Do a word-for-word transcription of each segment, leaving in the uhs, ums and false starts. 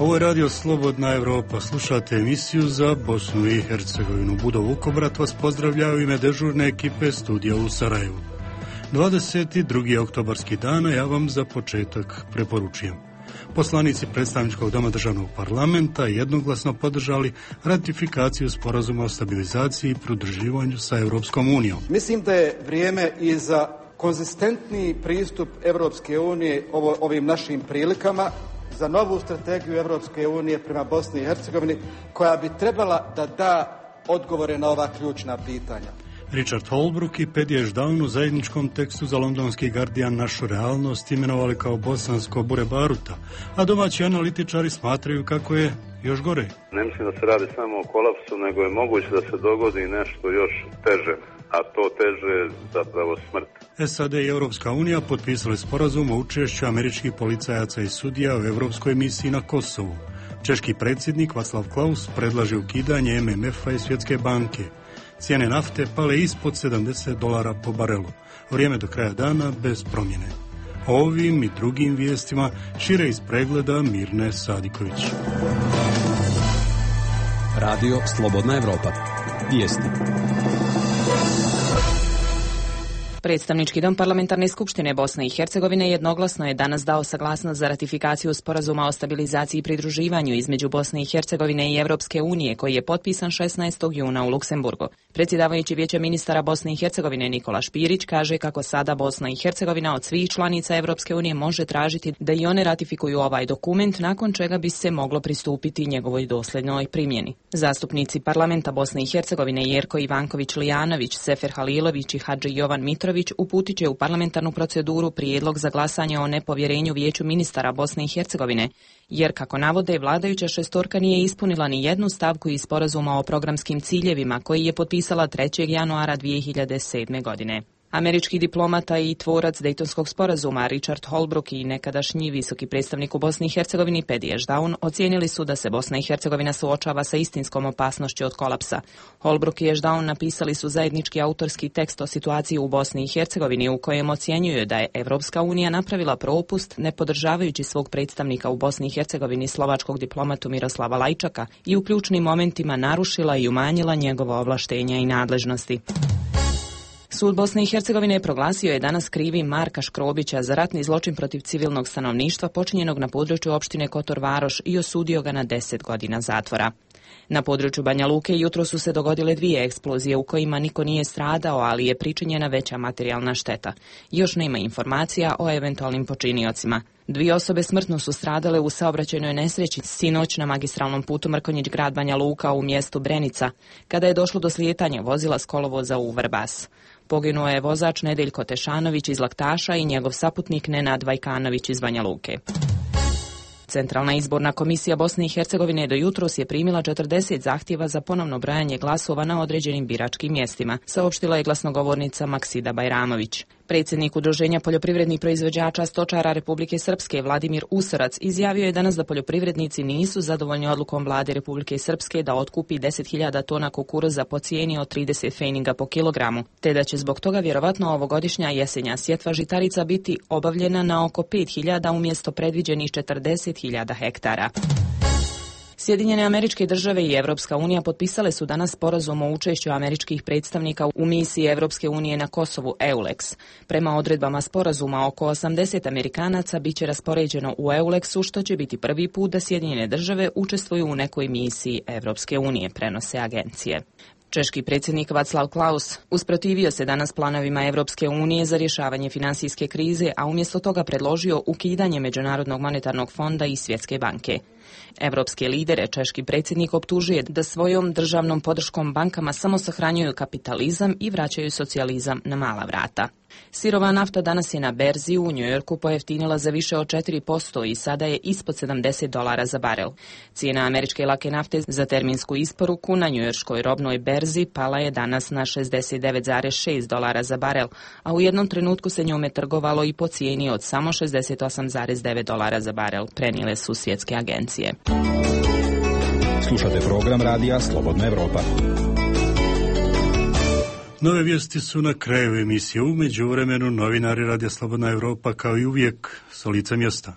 Ovo je radio Slobodna Evropa. Slušate emisiju za Bosnu i Hercegovinu. Budo Vukobrat vas pozdravlja u ime dežurne ekipe studija u Sarajevu. dvadeset drugi oktobarski dan, ja vam za početak preporučujem. Poslanici predstavničkog doma državnog parlamenta jednoglasno podržali ratifikaciju sporazuma o stabilizaciji i pridruživanju sa Europskom unijom. Mislim da je vrijeme i za konzistentniji pristup Europske unije ovo, ovim našim prilikama, za novu strategiju Europske unije prema Bosni i Hercegovini, koja bi trebala da da odgovore na ova ključna pitanja. Richard Holbrooke i Paddy Ashdown u zajedničkom tekstu za londonski Guardian našu realnost imenovali kao bosansko bure baruta, a domaći analitičari smatraju kako je još gore. Ne mislim da se radi samo o kolapsu, nego je moguće da se dogodi nešto još teže, a to teže je zapravo smrt. S A D i Europska unija potpisali sporazum o učešću američkih policajaca i sudija u europskoj misiji na Kosovu. Češki predsjednik Václav Klaus predlaže ukidanje M M F-a i Svjetske banke. Cijene nafte pale ispod sedamdeset dolara po barelu. Vrijeme do kraja dana bez promjene. O ovim i drugim vijestima šire iz pregleda Mirne Sadiković. Radio Slobodna Evropa. Vijesti. Predstavnički dom Parlamentarne skupštine Bosne i Hercegovine jednoglasno je danas dao saglasnost za ratifikaciju sporazuma o stabilizaciji i pridruživanju između Bosne i Hercegovine i Europske unije, koji je potpisan šesnaestog juna u Luksemburgu. Predsjedavajući Vijeća ministara Bosne i Hercegovine Nikola Špirić kaže kako sada Bosna i Hercegovina od svih članica Europske unije može tražiti da i one ratifikuju ovaj dokument, nakon čega bi se moglo pristupiti njegovoj dosljednoj primjeni. Zastupnici parlamenta Bosne i Hercegovine Jerko Ivanković-Lijanović, Sefer Halilović i Hadži Jovan Mitrović uputit će u parlamentarnu proceduru prijedlog za glasanje o nepovjerenju Vijeću ministara Bosne i Hercegovine, jer, kako navode, vladajuća šestorka nije ispunila ni jednu stavku iz sporazuma o programskim ciljevima koji je potpisala trećeg januara dvije hiljade sedme. godine. Američki diplomata i tvorac Dejtonskog sporazuma Richard Holbrooke i nekadašnji visoki predstavnik u Bosni i Hercegovini Paddy Ashdown ocijenili su da se Bosna i Hercegovina suočava sa istinskom opasnošću od kolapsa. Holbrooke i Ashdown napisali su zajednički autorski tekst o situaciji u Bosni i Hercegovini u kojem ocjenjuju da je Evropska unija napravila propust ne podržavajući svog predstavnika u Bosni i Hercegovini, slovačkog diplomatu Miroslava Lajčaka, i u ključnim momentima narušila i umanjila njegova ovlaštenja i nadležnosti. Sud Bosne i Hercegovine je proglasio je danas krivim Marka Škrobića za ratni zločin protiv civilnog stanovništva počinjenog na području opštine Kotor Varoš i osudio ga na deset godina zatvora. Na području Banja Luke jutro su se dogodile dvije eksplozije u kojima niko nije stradao, ali je pričinjena veća materijalna šteta. Još nema informacija o eventualnim počiniocima. Dvije osobe smrtno su stradale u saobraćajnoj nesreći sinoć na magistralnom putu Mrkonjić grad Banja Luka u mjestu Brenica, kada je došlo do slijetanja vozila s kolovoza u Vrbas. Poginuo je vozač Nedeljko Tešanović iz Laktaša i njegov saputnik Nenad Vajkanović iz Banja Luke. Centralna izborna komisija Bosne i Hercegovine do jutros je primila četrdeset zahtjeva za ponovno brojanje glasova na određenim biračkim mjestima, saopštila je glasnogovornica Maksida Bajramović. Predsjednik Udruženja poljoprivrednih proizvođača stočara Republike Srpske Vladimir Usarac izjavio je danas da poljoprivrednici nisu zadovoljni odlukom vlade Republike Srpske da otkupi deset hiljada tona kukuruza po cijeni od trideset fejninga po kilogramu, te da će zbog toga vjerovatno ovogodišnja jesenja sjetva žitarica biti obavljena na oko pet hiljada umjesto predviđenih četrdeset hiljada hektara. Sjedinjene Američke Države i Evropska unija potpisale su danas sporazum o učešću američkih predstavnika u misiji Evropske unije na Kosovu EULEX. Prema odredbama sporazuma, oko osamdeset Amerikanaca biće raspoređeno u EULEX-u, što će biti prvi put da Sjedinjene Države učestvuju u nekoj misiji Evropske unije, prenose agencije. Češki predsjednik Václav Klaus usprotivio se danas planovima Evropske unije za rješavanje finansijske krize, a umjesto toga predložio ukidanje Međunarodnog monetarnog fonda i Svjetske banke. Evropske lidere češki predsjednik optužuje da svojom državnom podrškom bankama samo sahranjuju kapitalizam i vraćaju socijalizam na mala vrata. Sirova nafta danas je na berzi u Njujorku pojeftinila za više od četiri posto i sada je ispod sedamdeset dolara za barel. Cijena američke lake nafte za terminsku isporuku na njujorškoj robnoj berzi pala je danas na šezdeset devet zarez šest dolara za barel, a u jednom trenutku se njome trgovalo i po cijeni od samo šezdeset osam zarez devet dolara za barel, prenijele su svjetske agencije. Slušate program radija Slobodna Evropa. Nove vijesti su na kraju emisije. U međuvremenu novinari Radija Slobodna Evropa kao i uvijek s lica mjesta.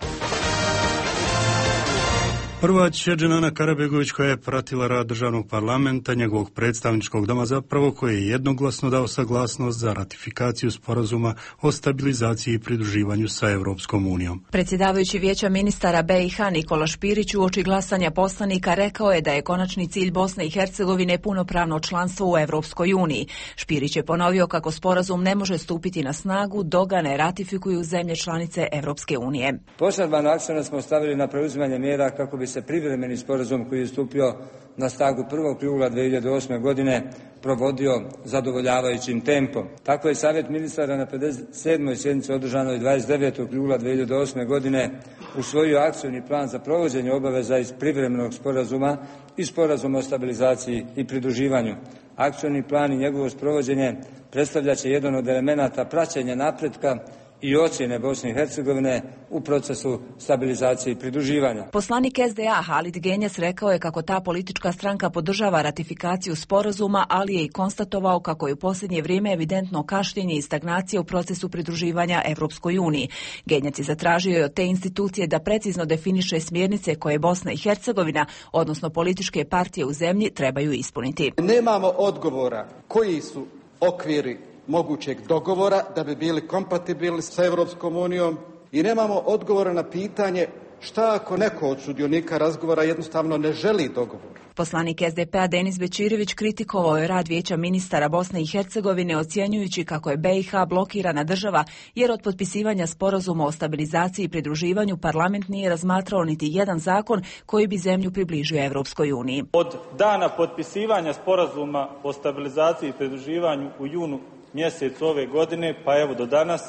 Prva će Dženana Karabegović, koja je pratila rad državnog parlamenta, njegovog predstavničkog doma zapravo, koji je jednoglasno dao saglasnost za ratifikaciju sporazuma o stabilizaciji i pridruživanju sa Europskom unijom. Predsjedavajući Vijeća ministara B i H Nikola Špirić uoči glasanja poslanika rekao je da je konačni cilj Bosne i Hercegovine punopravno članstvo u Europskoj uniji. Špirić je ponovio kako sporazum ne može stupiti na snagu dok ga ne ratifikuju zemlje članice Europske unije. Poseban akcent smo stavili na preuzimanje mjera kako bi se privremeni sporazum koji je stupio na snagu prvog jula dvije hiljade osme. godine provodio zadovoljavajućim tempom. Tako je Savjet ministara na pedeset sedmoj sjednici održanoj dvadeset devetog jula dvije hiljade osme. godine usvojio akcijni plan za provođenje obaveza iz privremenog sporazuma i sporazuma o stabilizaciji i pridruživanju. Akcijni plan i njegovo sprovođenje predstavlja će jedan od elemenata praćenja napretka i ocjene Bosne i Hercegovine u procesu stabilizacije i pridruživanja. Poslanik S D A Halid Genjes rekao je kako ta politička stranka podržava ratifikaciju sporazuma, ali je i konstatovao kako je u posljednje vrijeme evidentno kašnjenje i stagnacija u procesu pridruživanja Europskoj uniji. Genjec je zatražio od te institucije da precizno definiše smjernice koje Bosna i Hercegovina, odnosno političke partije u zemlji, trebaju ispuniti. Nemamo odgovora koji su okviri mogućeg dogovora da bi bili kompatibilni sa Europskom unijom i nemamo odgovora na pitanje šta ako neko od sudionika razgovora jednostavno ne želi dogovor. Poslanik S D P-a Denis Bećirević kritikovao je rad Vijeća ministara Bosne i Hercegovine ocjenjujući kako je B i H blokirana država jer od potpisivanja sporazuma o stabilizaciji i pridruživanju parlament nije razmatrao niti jedan zakon koji bi zemlju približio Europskoj uniji. Od dana potpisivanja sporazuma o stabilizaciji i pridruživanju u junu mjesec ove godine, pa evo do danas,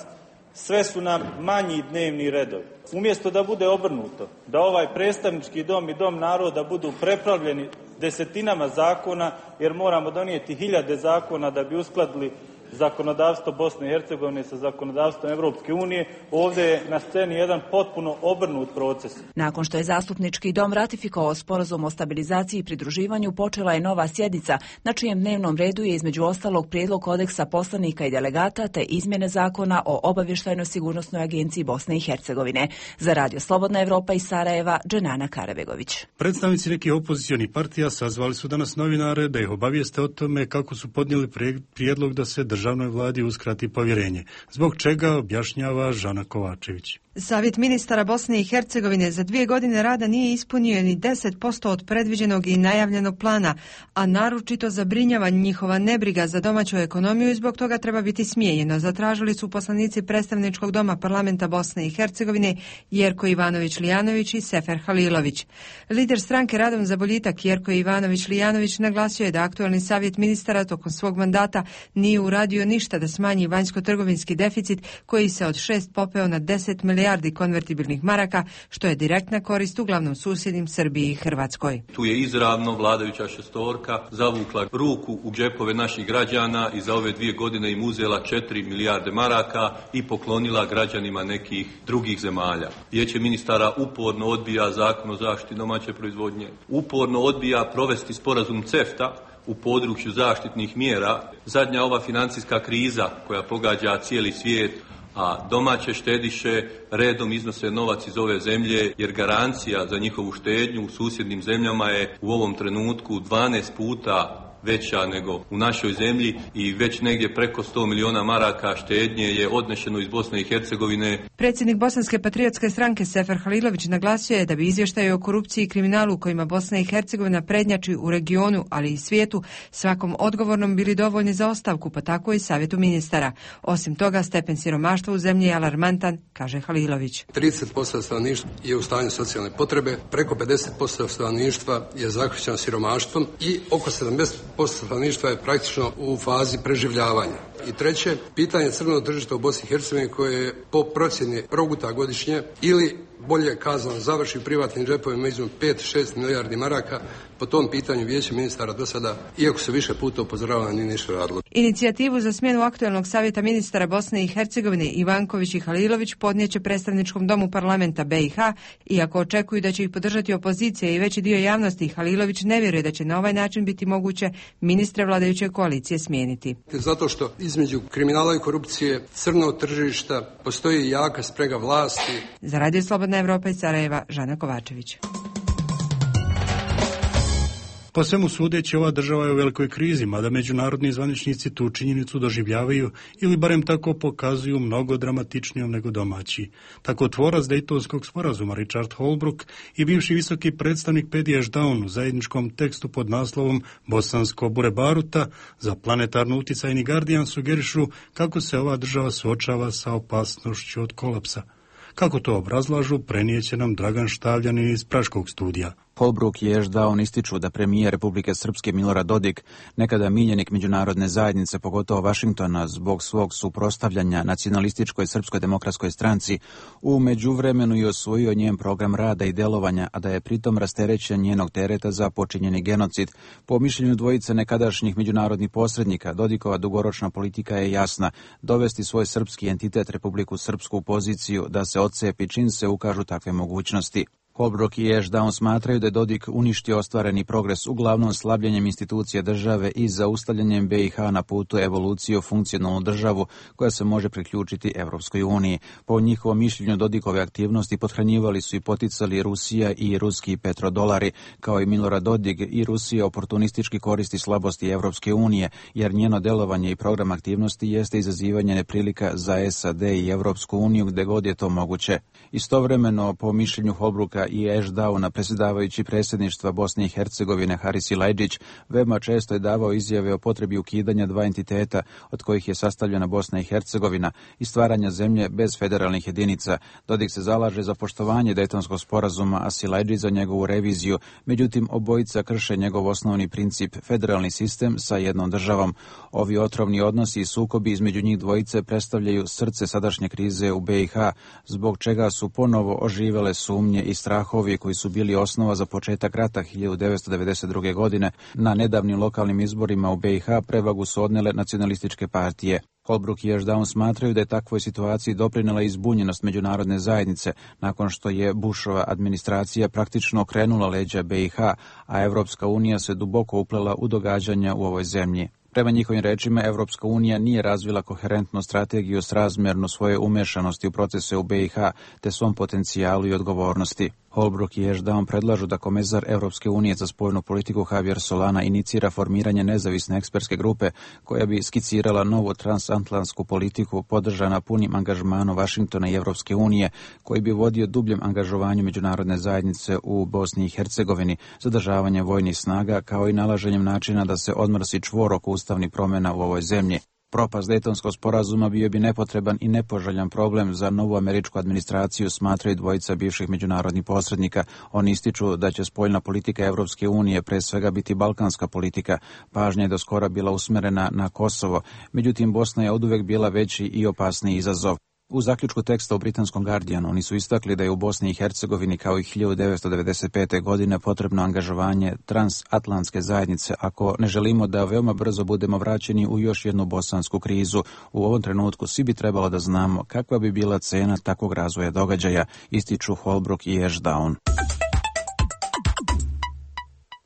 sve su nam manji dnevni redovi. Umjesto da bude obrnuto, da ovaj predstavnički dom i dom naroda budu prepravljeni desetinama zakona, jer moramo donijeti hiljade zakona da bi uskladili zakonodavstvo Bosne i Hercegovine sa zakonodavstvom Europske unije, ovdje je na sceni jedan potpuno obrnut proces. Nakon što je zastupnički dom ratifikovao sporazum o stabilizaciji i pridruživanju, počela je nova sjednica, na čijem dnevnom redu je između ostalog prijedlog kodeksa poslanika i delegata te izmjene zakona o obavještajnoj sigurnosnoj agenciji Bosne i Hercegovine. Za Radio Slobodna Evropa iz Sarajeva, Dženana Karabegović. Predstavnici nekih opozicionih partija sazvali su danas novinare da ih obavijeste o tome kako su podnijeli prijedlog da se državnoj vladi uskrati povjerenje, zbog čega objašnjava Žana Kovačević. Savjet ministara Bosne i Hercegovine za dvije godine rada nije ispunio ni deset posto od predviđenog i najavljenog plana, a naročito zabrinjava njihova nebriga za domaću ekonomiju i zbog toga treba biti smijenjeno. Zatražili su poslanici predstavničkog doma parlamenta Bosne i Hercegovine Jerko Ivanović-Lijanović i Sefer Halilović. Lider stranke Radom za boljitak Jerko Ivanović-Lijanović naglasio je da aktualni savjet ministara tokom svog mandata nije uradio ništa da smanji vanjsko-trgovinski deficit koji se od šest popeo na deset milijardi konvertibilnih maraka, što je direktna korist uglavnom susjednim Srbiji i Hrvatskoj. Tu je izravno vladajuća šestorka zavukla ruku u džepove naših građana i za ove dvije godine im uzela četiri milijarde maraka i poklonila građanima nekih drugih zemalja. Vijeće ministara uporno odbija zakon o zaštiti domaće proizvodnje, uporno odbija provesti sporazum CEFTA u području zaštitnih mjera. Zadnja ova financijska kriza koja pogađa cijeli svijet, a domaće štediše redom iznose novac iz ove zemlje, jer garancija za njihovu štednju u susjednim zemljama je u ovom trenutku dvanaest puta veća nego u našoj zemlji i već negdje preko sto milijuna maraka štednje je odnešeno iz Bosne i Hercegovine. Predsjednik Bosanske patriotske stranke Sefer Halilović naglasio je da bi izvještaje o korupciji i kriminalu kojima Bosna i Hercegovina prednjači u regionu, ali i svijetu, svakom odgovornom bili dovoljni za ostavku, pa tako i savjetu ministara. Osim toga, stepen siromaštva u zemlji je alarmantan, kaže Halilović. trideset posto stanovništva je u stanju socijalne potrebe, preko pedeset posto stanovništva je zahvaćeno siromaštvom i oko sedamdeset posto stanovništva je praktično u fazi preživljavanja. I treće, pitanje crvenog tržišta u Bosni i Hercegovini koje je po procjeni proguta godišnje ili bolje kazano završi privatnim džepovima između pet do šest milijardi maraka. Po tom pitanju Vijeće ministara do sada, iako se više puta upozoravalo, nije ništa radilo. Inicijativu za smjenu aktualnog savjeta ministara Bosne i Hercegovine Ivanković i Halilović podnijeće predstavničkom domu parlamenta B i H, iako očekuju da će ih podržati opozicija i veći dio javnosti. Halilović ne vjeruje da će na ovaj način biti moguće ministre vladajuće koalicije smijeniti. Zato što između kriminala i korupcije, crnog tržišta, postoji jaka sprega vlasti. Za Radio Slobodna Evropa iz Sarajeva, Žana Kovačević. Po svemu sudeći, ova država je u velikoj krizi, mada međunarodni zvaničnici tu činjenicu doživljavaju ili barem tako pokazuju mnogo dramatičnijom nego domaći. Tako tvorac Dejtonskog sporazuma Richard Holbrooke i bivši visoki predstavnik Paddy Ashdown u zajedničkom tekstu pod naslovom Bosansko bure baruta za planetarno uticajni Guardian sugerišu kako se ova država suočava sa opasnošću od kolapsa. Kako to obrazlažu, prenijeće nam Dragan Štavljanin iz Praškog studija. Holbrooke i Ashdown ističu da premijer Republike Srpske Milorad Dodik, nekada miljenik međunarodne zajednice, pogotovo Vašingtona, zbog svog suprotstavljanja nacionalističkoj Srpskoj demokratskoj stranci, u međuvremenu i osvojio njen program rada i delovanja, a da je pritom rasterećen njenog tereta za počinjeni genocid. Po mišljenju dvojice nekadašnjih međunarodnih posrednika, Dodikova dugoročna politika je jasna: dovesti svoj srpski entitet Republiku Srpsku u poziciju da se odcepi čim se ukažu takve mogućnosti. Holbrooke i Ashdown smatraju da je Dodik uništio ostvareni progres uglavnom slabljenjem institucija države i zaustavljanjem B i H na putu evolucije u funkcionalnu državu koja se može priključiti Evropskoj uniji. Po njihovom mišljenju, Dodikove aktivnosti pothranjivali su i poticali Rusija i ruski petrodolari, kao i Milorad Dodik i Rusija oportunistički koristi slabosti Evropske unije, jer njeno delovanje i program aktivnosti jeste izazivanje neprilika za S A D i Evropsku uniju gde god je to moguće. Istovremeno, po mišljenju Holbrooka i Ashdowna, predsjedavajući predsjedništva Bosne i Hercegovine Haris Silajdžić veoma često je davao izjave o potrebi ukidanja dva entiteta od kojih je sastavljena Bosna i Hercegovina i stvaranja zemlje bez federalnih jedinica. Dodik se zalaže za poštovanje Dejtonskog sporazuma, a Silajdžić za njegovu reviziju. Međutim, obojica krše njegov osnovni princip, federalni sistem sa jednom državom. Ovi otrovni odnosi i sukobi između njih dvojice predstavljaju srce sadašnje krize u B i H, zbog čega su ponovo oživele sumnje i strahovi koji su bili osnova za početak rata hiljadu devetsto devedeset druge. godine. Na nedavnim lokalnim izborima u B i H prevagu su odnele nacionalističke partije. Holbrooke i Ashdown smatraju da je takvoj situaciji doprinela izbunjenost međunarodne zajednice nakon što je Bushova administracija praktično okrenula leđa B i H, a Evropska unija se duboko uplela u događanja u ovoj zemlji. Prema njihovim rečima, Evropska unija nije razvila koherentnu strategiju srazmjernu svoje umešanosti u procese u B i H te svom potencijalu i odgovornosti. Holbrooke i Ashdown predlažu da komesar Evropske unije za spoljnu politiku Javier Solana inicira formiranje nezavisne ekspertske grupe koja bi skicirala novu transatlantsku politiku podržana punim angažmanom Vašingtona i Evropske unije, koji bi vodio dubljem angažovanju međunarodne zajednice u Bosni i Hercegovini, zadržavanjem vojnih snaga kao i nalaženjem načina da se odmrsi čvor oko ustavnih promjena u ovoj zemlji. Propast Dejtonskog sporazuma bio bi nepotreban i nepoželjan problem za novu američku administraciju, smatraju dvojica bivših međunarodnih posrednika. Oni ističu da će spoljna politika Evropske unije pre svega biti balkanska politika. Pažnja je do skora bila usmerena na Kosovo, međutim Bosna je oduvek bila veći i opasniji izazov. U zaključku teksta u britanskom Guardianu oni su istakli da je u Bosni i Hercegovini kao i hiljadu devetsto devedeset pete. godine potrebno angažovanje transatlantske zajednice ako ne želimo da veoma brzo budemo vraćeni u još jednu bosansku krizu. U ovom trenutku svi bi trebalo da znamo kakva bi bila cena takvog razvoja događaja, ističu Holbrooke i Ashdown.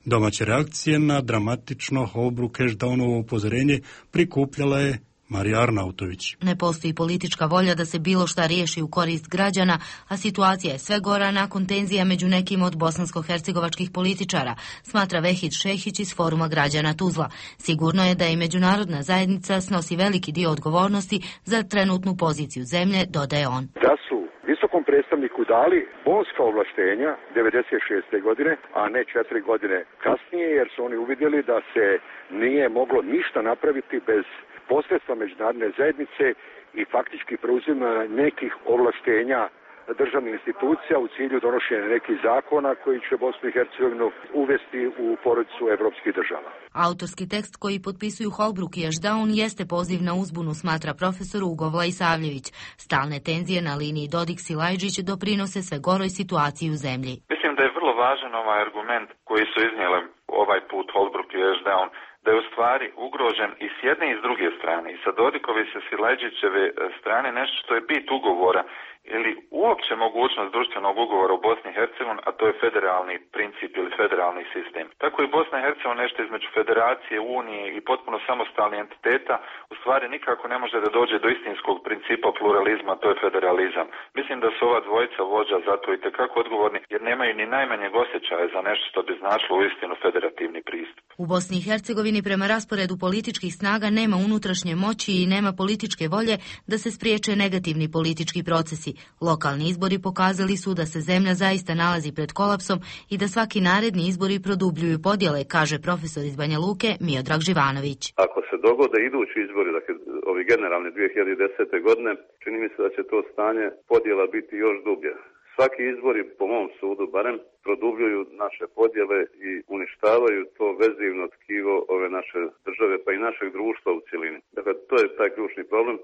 Domaće reakcije na dramatično Holbrooke-Ashdownovo upozorenje prikupljala je Marija Arnautović. Ne postoji politička volja da se bilo šta riješi u korist građana, a situacija je sve gora nakon tenzija među nekim od bosansko-hercegovačkih političara, smatra Vehid Šehić iz Foruma građana Tuzla. Sigurno je da i međunarodna zajednica snosi veliki dio odgovornosti za trenutnu poziciju zemlje, dodaje on. Da su visokom predstavniku dali bonska ovlaštenja devedeset šeste. godine, a ne četiri godine kasnije, jer su oni uvidjeli da se nije moglo ništa napraviti bez posredstva međunarodne zajednice i faktički preuzima nekih ovlaštenja državnih institucija u cilju donošenja nekih zakona koji će Bosnu i Hercegovinu uvesti u porodicu evropskih država. Autorski tekst koji potpisuju Holbrooke i Ashdown jeste poziv na uzbunu, smatra profesor Ugovla Isavljević. Stalne tenzije na liniji Dodik-Silajdžić doprinose sve goroj situaciji u zemlji. Mislim da je vrlo važan ovaj argument koji su iznijeli ovaj put Holbrooke i Ashdown, da je u stvari ugrožen i s jedne i s druge strane, i sa Dodikove i sa Silajdžićeve strane, nešto što je bit ugovora ili uopće mogućnost društvenog ugovora u Bosni i Hercegovini, a to je federalni princip ili federalni sistem. Tako i Bosna i Hercegovina nešto između federacije, unije i potpuno samostalnih entiteta u stvari nikako ne može da dođe do istinskog principa pluralizma, to je federalizam. Mislim da su ova dvojica vođa zato i tekako odgovorni jer nemaju ni najmanjeg osjećaja za nešto što bi značilo uistinu federativni pristup. U Bosni i Hercegovini prema rasporedu političkih snaga nema unutrašnje moći i nema političke volje da se spriječe negativni politički procesi. Lokalni izbori pokazali su da se zemlja zaista nalazi pred kolapsom i da svaki naredni izbori produbljuju podjele, kaže profesor iz Banja Luke Miodrag Živanović. Ako se dogode idući izbori, dakle ovi generalni dvije hiljade desete. godine, čini mi se da će to stanje podjela biti još dublje. Svaki izbori, po mom sudu barem, produbljuju naše podjele i uništavaju to vezivno tkivo ove naše države, pa i našeg društva u cjelini. Dakle, to je taj ključni problem.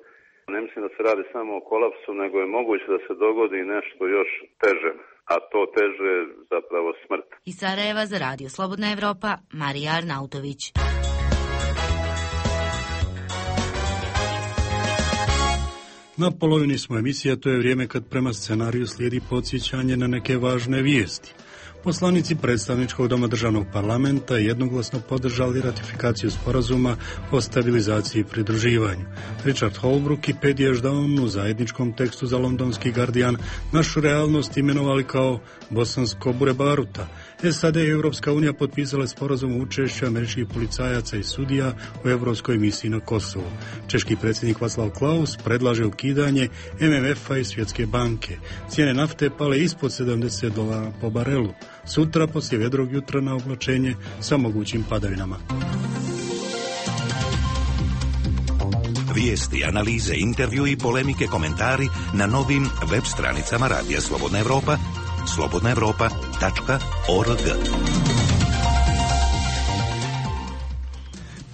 Ne mislim da se radi samo o kolapsu, nego je moguće da se dogodi nešto još teže, a to teže je zapravo smrt. Iz Sarajeva za Radio Slobodna Evropa, Marija Arnautović. Na polovini smo emisija, to je vrijeme kad prema scenariju slijedi podsjećanje na neke važne vijesti. Poslanici predstavničkog doma državnog parlamenta jednoglasno podržali ratifikaciju sporazuma o stabilizaciji i pridruživanju. Richard Holbrooke i Paddy Ashdown u zajedničkom tekstu za londonski Guardian našu realnost imenovali kao bosansko bure baruta. S A D i Europska unija potpisale sporazum o učešću američkih policajaca i sudija u europskoj misiji na Kosovu. Češki predsjednik Václav Klaus predlaže ukidanje M M F-a i Svjetske banke. Cijene nafte pale ispod sedamdeset dolara po barelu. Sutra poslije vedrog jutra na oblačenje sa mogućim padavinama. Vijesti, analize, intervju i polemike, komentari na novim web stranicama Radija Slobodna Evropa, slobodna evropa tačka org.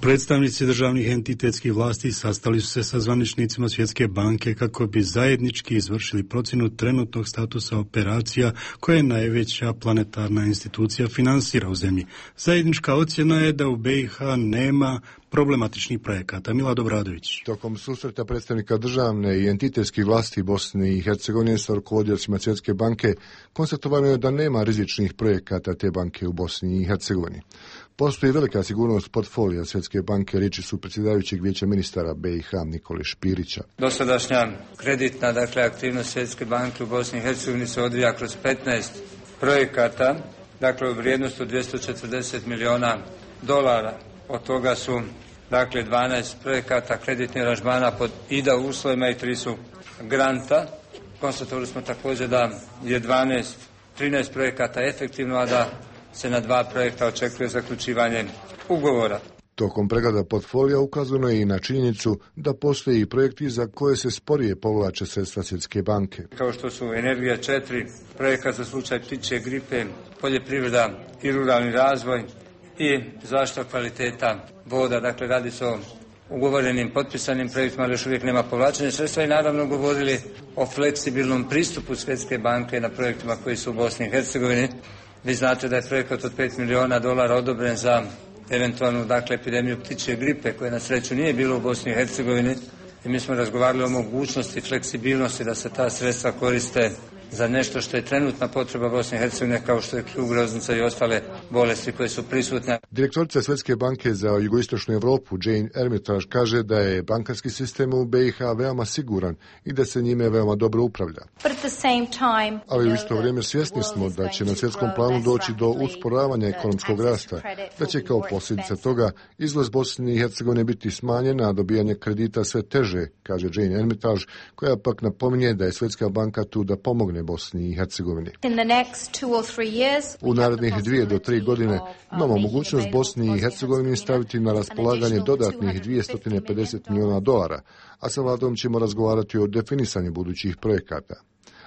Predstavnici državnih entitetskih vlasti sastali su se sa zvaničnicima Svjetske banke kako bi zajednički izvršili procjenu trenutnog statusa operacija koje najveća planetarna institucija finansira u zemlji. Zajednička ocjena je da u B i H nema problematičnih projekata. Milad Obradović. Tokom susreta predstavnika državne i entitetskih vlasti Bosne i Hercegovine sa rukovodiocima Svjetske banke konstatovano je da nema rizičnih projekata te banke u Bosni i Hercegovini. Postoji velika sigurnost portfolija Svjetske banke, riječi su predsjedavajućeg vijeća ministara B i H Nikole Špirića. Dosadašnja kreditna, dakle, aktivnost Svjetske banke u Bosni i Hercegovini se odvija kroz petnaest projekata, dakle, u vrijednosti od dvjesto četrdeset milijuna dolara. Od toga su, dakle, dvanaest projekata kreditnih aranžmana pod I D A uslovima i tri su granta. Konstatovali smo također da je dvanaest, trinaest projekata efektivno, a da se na dva projekta očekuje zaključivanje ugovora. Tokom pregleda portfolija ukazano je i na činjenicu da postoje i projekti za koje se sporije povlače sredstva Svjetske banke. Kao što su Energija četiri, projekat za slučaj ptičje gripe, poljoprivreda i ruralni razvoj i zaštita kvaliteta voda. Dakle, radi se o ugovorenim, potpisanim projektima, ali još uvijek nema povlačenja sredstva i naravno govorili o fleksibilnom pristupu Svjetske banke na projektima koji su u Bosni i Hercegovini. Vi znate da je projekat od pet milijuna dolara odobren za eventualnu, dakle, epidemiju ptičje gripe, koje na sreću nije bilo u Bosni i Hercegovini. I mi smo razgovarali o mogućnosti, fleksibilnosti da se ta sredstva koriste za nešto što je trenutna potreba Bosne i Hercegovine, kao što je krug groznica i ostale bolesti koje su prisutne. Direktorica Svjetske banke za jugoistočnu Europu Jane Ermitage kaže da je bankarski sistem u B i H veoma siguran i da se njime veoma dobro upravlja. Ali u isto vrijeme svjesni smo da će na svjetskom planu doći do usporavanja ekonomskog rasta, da će kao posljedica toga izlaz Bosne i Hercegovine biti smanjen, a dobijanje kredita sve teže, kaže Jane Ermitage, koja pak napominje da je Svjetska banka tu da pomogne Bosni i Hercegovini. U narednih dvije do tri godine imamo mogućnost Bosni i Hercegovini staviti na raspolaganje dodatnih dvjesto pedeset milijuna dolara, a sa vladom ćemo razgovarati o definisanju budućih projekata.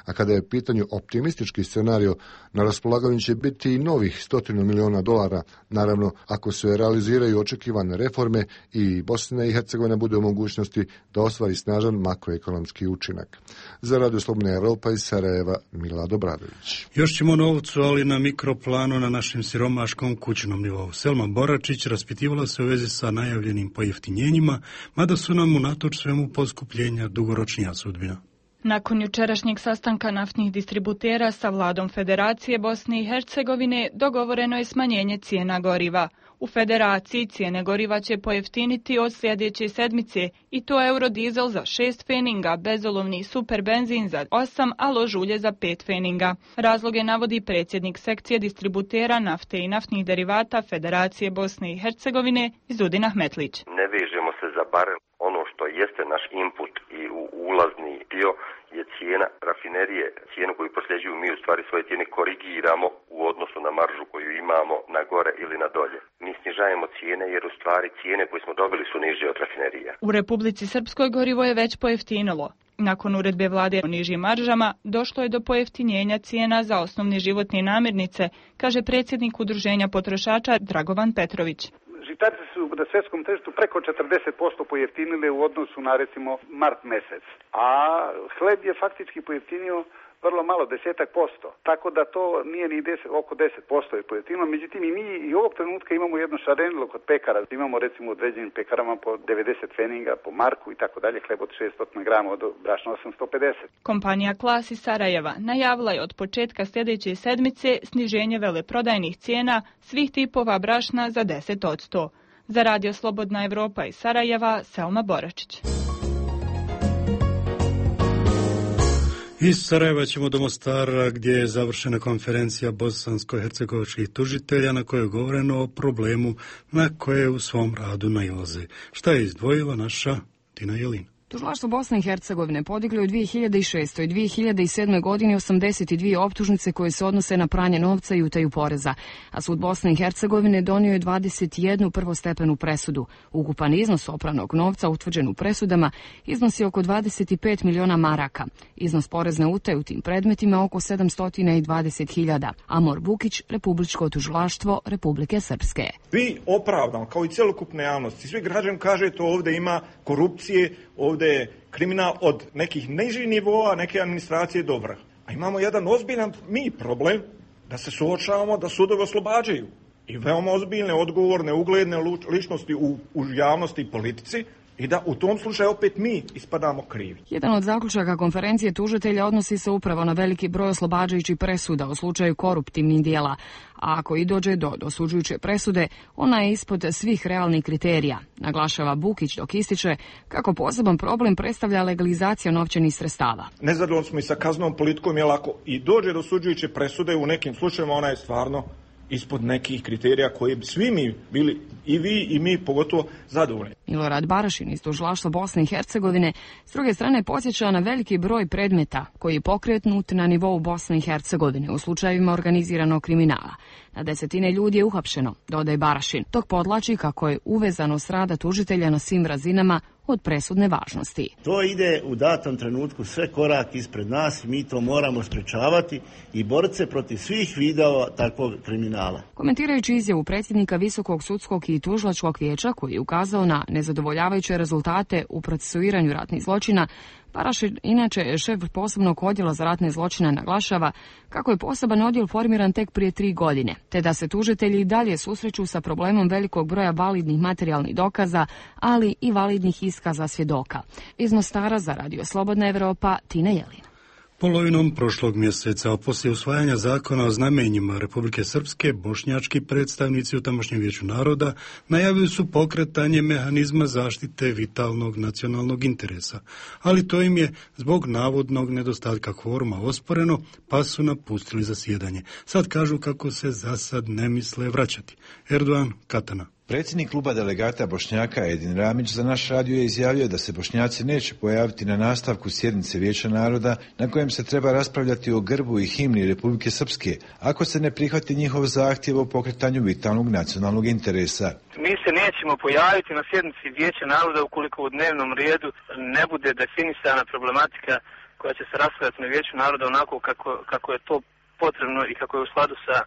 A kada je u pitanju optimistički scenario, na raspolaganju će biti i novih stotinu milijuna dolara, naravno ako se realiziraju očekivane reforme i Bosna i Hercegovina bude u mogućnosti da ostvari snažan makroekonomski učinak. Za Radio Slobodna Evropa iz Sarajeva, Milad Obradović. Još ćemo novcu, ali na mikroplanu na našem siromaškom kućnom nivou. Selma Boračić raspitivala se u vezi sa najavljenim pojeftinjenjima, mada su nam unatoč svemu poskupljenja dugoročnija sudbina. Nakon jučerašnjeg sastanka naftnih distributera sa vladom Federacije Bosne i Hercegovine dogovoreno je smanjenje cijena goriva. U Federaciji cijene goriva će pojeftiniti od sljedeće sedmice i to eurodizel za šest feninga, bezolovni super benzin za osam, a lož ulje za pet feninga. Razloge navodi predsjednik sekcije distributera nafte i naftnih derivata Federacije Bosne i Hercegovine Izudin Ahmetlić. Ne vežemo se za barel. Ono što jeste naš input i u ulazni dio je cijena rafinerije. Cijenu koju prosljeđuju mi u stvari svoje cijene korigiramo u odnosu na maržu koju imamo na gore ili na dolje. Mi snižajemo cijene jer u stvari cijene koje smo dobili su niže od rafinerija. U Republici Srpskoj gorivo je već pojeftinilo. Nakon uredbe vlade o nižim maržama došlo je do pojeftinjenja cijena za osnovne životne namirnice, kaže predsjednik Udruženja potrošača Dragovan Petrović. Žitarice su na svjetskom tržištu preko četrdeset posto pojeftinile u odnosu na recimo mart mjesec, a hleb je faktički pojeftinio vrlo malo, desetak posto. Tako da to nije ni deset, oko deset posto je pojeftinilo. Međutim, i mi i ovog trenutka imamo jedno šarenilo kod pekara. Imamo recimo u određenim pekarama po devedeset feninga, po marku i tako dalje, hleb od šesto grama, od brašna osamsto pedeset. Kompanija Klas iz Sarajeva najavila je od početka sljedeće sedmice sniženje veleprodajnih cijena svih tipova brašna za deset posto. Za Radio Slobodna Evropa iz Sarajeva, Selma Boračić. Iz Sarajeva ćemo do Mostara gdje je završena konferencija bosansko-hercegovačkih tužitelja na kojoj je govoreno o problemu na koje u svom radu nailaze. Šta je izdvojila naša Tina Jelina? Tužilaštvo Bosne i Hercegovine podiglo je u dvije hiljade šestoj i dvije hiljade sedmoj godini osamdeset dvije optužnice koje se odnose na pranje novca i utaju poreza, a sud Bosne i Hercegovine donio je dvadeset jednu prvostepenu presudu. Ukupan iznos opranog novca utvrđen u presudama iznosi oko dvadeset pet miliona maraka. Iznos porezne utaje u tim predmetima oko sedamsto dvadeset hiljada. Amor Bukić, Republičko tužilaštvo Republike Srpske. Vi opravdano, kao i cjelokupne javnosti, svi građani kažete ovdje ima korupcije, ovdje je kriminal od nekih nižih nivoa, neke administracije dobra. A imamo jedan ozbiljan mi problem da se suočavamo da sudovi oslobađaju. I veoma ozbiljne, odgovorne, ugledne ličnosti u, u javnosti i politici i da u tom slučaju opet mi ispadamo krivi. Jedan od zaključaka konferencije tužitelja odnosi se upravo na veliki broj oslobađajućih presuda u slučaju koruptivnih dijela, a ako i dođe do dosuđujuće presude, ona je ispod svih realnih kriterija, naglašava Bukić dok ističe kako poseban problem predstavlja legalizacija novčanih sredstava. Nezadovoljni smo i sa kaznom politikom, jer ako i dođe do dosuđujuće presude, u nekim slučajevima ona je stvarno ispod nekih kriterija koji bi svi mi bili, i vi i mi pogotovo, zadovoljni. Milorad Barašin iz tužilaštva Bosne i Hercegovine s druge strane podsjeća na veliki broj predmeta koji je pokrenut na nivou Bosne i Hercegovine u slučajevima organiziranog kriminala. Na desetine ljudi je uhapšeno, dodaje Barašin, dok podlači kako je uvezanost rada tužitelja na svim razinama od presudne važnosti. To ide u datom trenutku sve korak ispred nas i mi to moramo sprečavati i boriti se protiv svih vidova takvog kriminala. Komentirajući izjavu predsjednika Visokog sudskog i tužilačkog vijeća koji je ukazao na nezadovoljavajuće rezultate u procesuiranju ratnih zločina, Barašin, inače šef posebnog odjela za ratne zločine, naglašava kako je poseban odjel formiran tek prije tri godine, te da se tužitelji i dalje susreću sa problemom velikog broja validnih materijalnih dokaza, ali i validnih iskaza svjedoka. Iz Mostara za Radio Slobodna Evropa, Tina Jelina. Polovinom prošlog mjeseca, a poslije usvajanja zakona o znamenjima Republike Srpske, bošnjački predstavnici u tamošnjem vijeću naroda najavili su pokretanje mehanizma zaštite vitalnog nacionalnog interesa, ali to im je zbog navodnog nedostatka kvoruma osporeno, pa su napustili zasjedanje. Sad kažu kako se za sad ne misle vraćati. Erdogan Katana. Predsjednik kluba delegata Bošnjaka Edin Ramić za naš radio je izjavio da se Bošnjaci neće pojaviti na nastavku sjednice Vijeća naroda na kojem se treba raspravljati o grbu i himni Republike Srpske, ako se ne prihvati njihov zahtjev o pokretanju vitalnog nacionalnog interesa. Mi se nećemo pojaviti na sjednici Vijeća naroda ukoliko u dnevnom redu ne bude definisana problematika koja će se raspravljati na Vijeću naroda onako kako, kako je to potrebno i kako je u skladu sa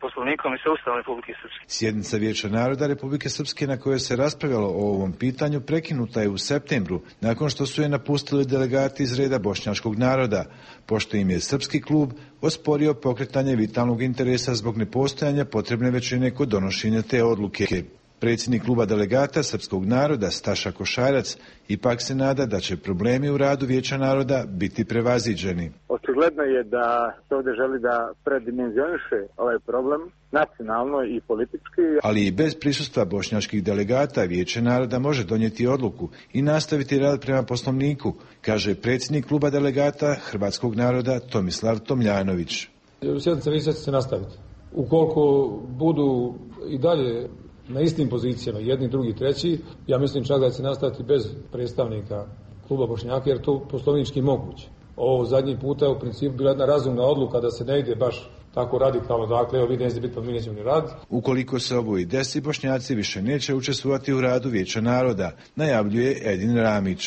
Poslovnikom i sa Ustavom Republike Srpske. Sjednica Vijeća naroda Republike Srpske na kojoj se raspravljalo o ovom pitanju prekinuta je u septembru, nakon što su je napustili delegati iz reda bošnjačkog naroda, pošto im je srpski klub osporio pokretanje vitalnog interesa zbog nepostojanja potrebne većine kod donošenja te odluke. Predsjednik kluba delegata Srpskog naroda Staša Košarac ipak se nada da će problemi u radu Vijeća naroda biti prevaziđeni. Očigledno je da se ovdje želi da predimenzioniše ovaj problem nacionalno i politički. Ali i bez prisustva bošnjačkih delegata Vijeće naroda može donijeti odluku i nastaviti rad prema poslovniku, kaže predsjednik kluba delegata Hrvatskog naroda Tomislav Tomljanović. Sjednica vijeća će se nastaviti. Ukoliko budu i dalje na istim pozicijama, jedni, drugi, treći, ja mislim čak da će nastaviti bez predstavnika kluba Bošnjaka, jer to poslovnički moguće. Ovo zadnji puta je u principu bila jedna razumna odluka da se ne ide baš tako radikalno, dakle, evo vi nećete biti, pa mi nećemo ni raditi. Ukoliko se ovo i desi, Bošnjaci više neće učestvovati u radu Vijeća naroda, najavljuje Edin Ramić.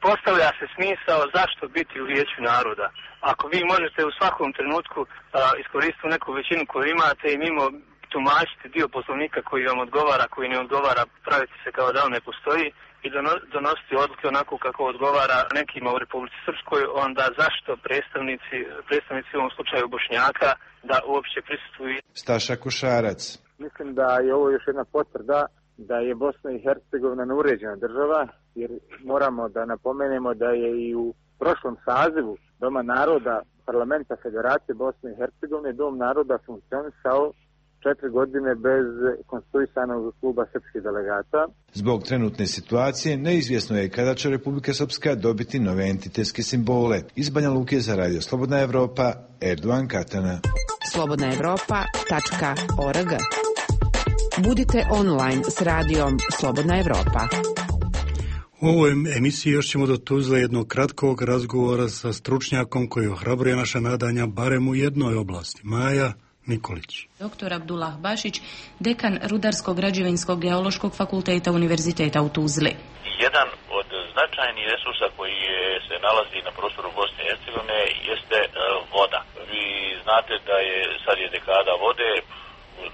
Postavlja se smisao zašto biti u Vijeću naroda. Ako vi možete u svakom trenutku a, iskoristiti neku većinu koju imate i mimo tumačiti dio poslovnika koji vam odgovara, koji ne odgovara, praviti se kao da on ne postoji i donositi odluke onako kako odgovara nekima u Republici Srpskoj, onda zašto predstavnici, predstavnici u ovom slučaju Bošnjaka da uopće prisustvuju? Staša Košarac. Mislim da je ovo još jedna potvrda da je Bosna i Hercegovina neuređena država, jer moramo da napomenemo da je i u prošlom sazivu Doma naroda Parlamenta Federacije Bosne i Hercegovine Dom naroda funkcionisao četiri godine bez konstituisanog kluba srpskih delegata. Zbog trenutne situacije neizvjesno je kada će Republika Srpska dobiti nove entitetske simbole. Iz Banja Luke za Radio Slobodna Evropa, Erdogan Katana. slobodna evropa tačka org. Budite online s radijom Slobodna Evropa. U ovoj emisiji još ćemo do Tuzle jednog kratkog razgovora sa stručnjakom koji ohrabruje naša nadanja barem u jednoj oblasti. Maja Nikolić. Doktor Abdullah Bašić, dekan Rudarsko-građevinskog geološkog fakulteta Univerziteta u Tuzli. Jedan od značajnih resursa koji je, se nalazi na prostoru Bosne i Hercegovine jeste e, voda. Vi znate da je sad je dekada vode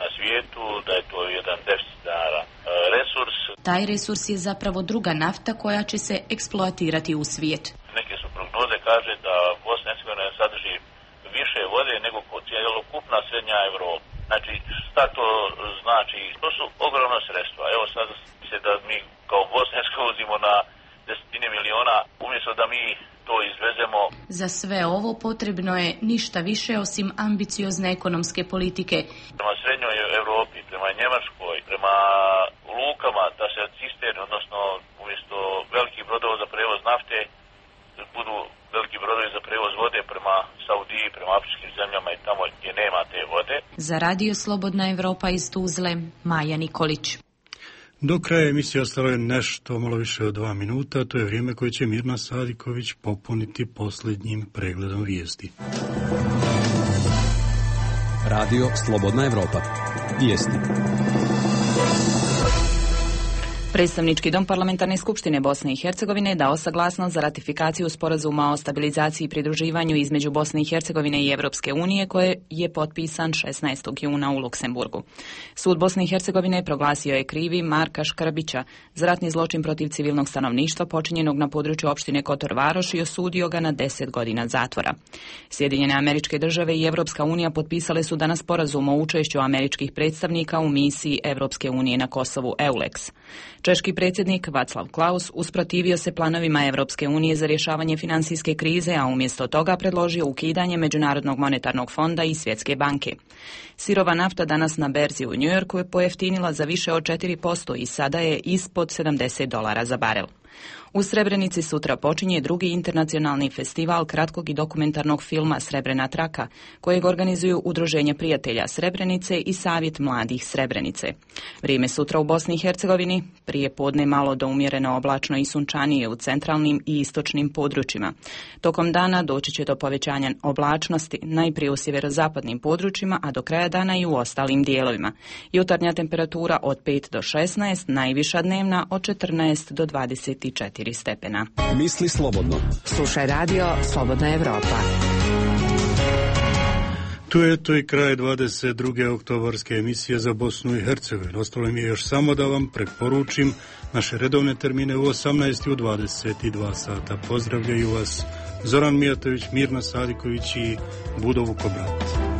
na svijetu, da je to jedan deficitaran e, resurs. Taj resurs je zapravo druga nafta koja će se eksploatirati u svijet. Neke su prognoze kaže da Bosna i Hercegovina sadrži više vode nego cijelokupna srednja Evropa. Znači, šta to znači? To su ogromna sredstva. Evo sad se da mi kao Bosna uvozimo na desetine miliona, umjesto da mi to izvezemo. Za sve ovo potrebno je ništa više osim ambiciozne ekonomske politike. Prema srednjoj Evropi, prema Njemačkoj, prema lukama, da se cisterne, odnosno umjesto velikih brodova za prevoz nafte, budu veliki brodovi za prevoz vode prema Saudiji, prema afričkim zemljama i tamo gdje nema te vode. Za Radio Slobodna Evropa iz Tuzle, Maja Nikolić. Do kraja emisije ostalo je nešto malo više od dva minuta, to je vrijeme koje će Mirna Sadiković popuniti posljednjim pregledom vijesti. Radio Slobodna Evropa. Vijesti. Predstavnički dom Parlamentarne skupštine Bosne i Hercegovine dao saglasnost za ratifikaciju sporazuma o stabilizaciji i pridruživanju između Bosne i Hercegovine i Evropske unije koje je potpisan šesnaestog juna u Luksemburgu. Sud Bosne i Hercegovine proglasio je krivi Marka Škrbića za ratni zločin protiv civilnog stanovništva počinjenog na području opštine Kotor Varoš i osudio ga na deset godina zatvora. Sjedinjene Američke Države i Evropska unija potpisale su danas sporazum o učešću američkih predstavnika u misiji Evropske unije na Kosovu EULEX. Češki predsjednik Václav Klaus usprotivio se planovima Evropske unije za rješavanje financijske krize, a umjesto toga predložio ukidanje Međunarodnog monetarnog fonda i Svjetske banke. Sirova nafta danas na berzi u Njujorku je pojeftinila za više od četiri posto i sada je ispod sedamdeset dolara za barel. U Srebrenici sutra počinje drugi internacionalni festival kratkog i dokumentarnog filma Srebrena traka, kojeg organizuju Udruženje prijatelja Srebrenice i Savjet mladih Srebrenice. Vrijeme sutra u Bosni i Hercegovini, prije podne malo do umjereno oblačno i sunčanije u centralnim i istočnim područjima. Tokom dana doći će do povećanja oblačnosti, najprije u sjeverozapadnim područjima, a do kraja dana i u ostalim dijelovima. Jutarnja temperatura od pet do šesnaest, najviša dnevna od četrnaest do dvadeset četiri stepena. Misli slobodno. Slušaj Radio Slobodna Evropa. Tu je to i kraj dvadeset druge oktobarske emisije za Bosnu i Hercegovinu. Ostalo mi je još samo da vam preporučim naše redovne termine u osamnaest i u dvadeset dva sata. Pozdravljaju vas Zoran Mijatović, Mirna Sadiković i Budo Vukobrat.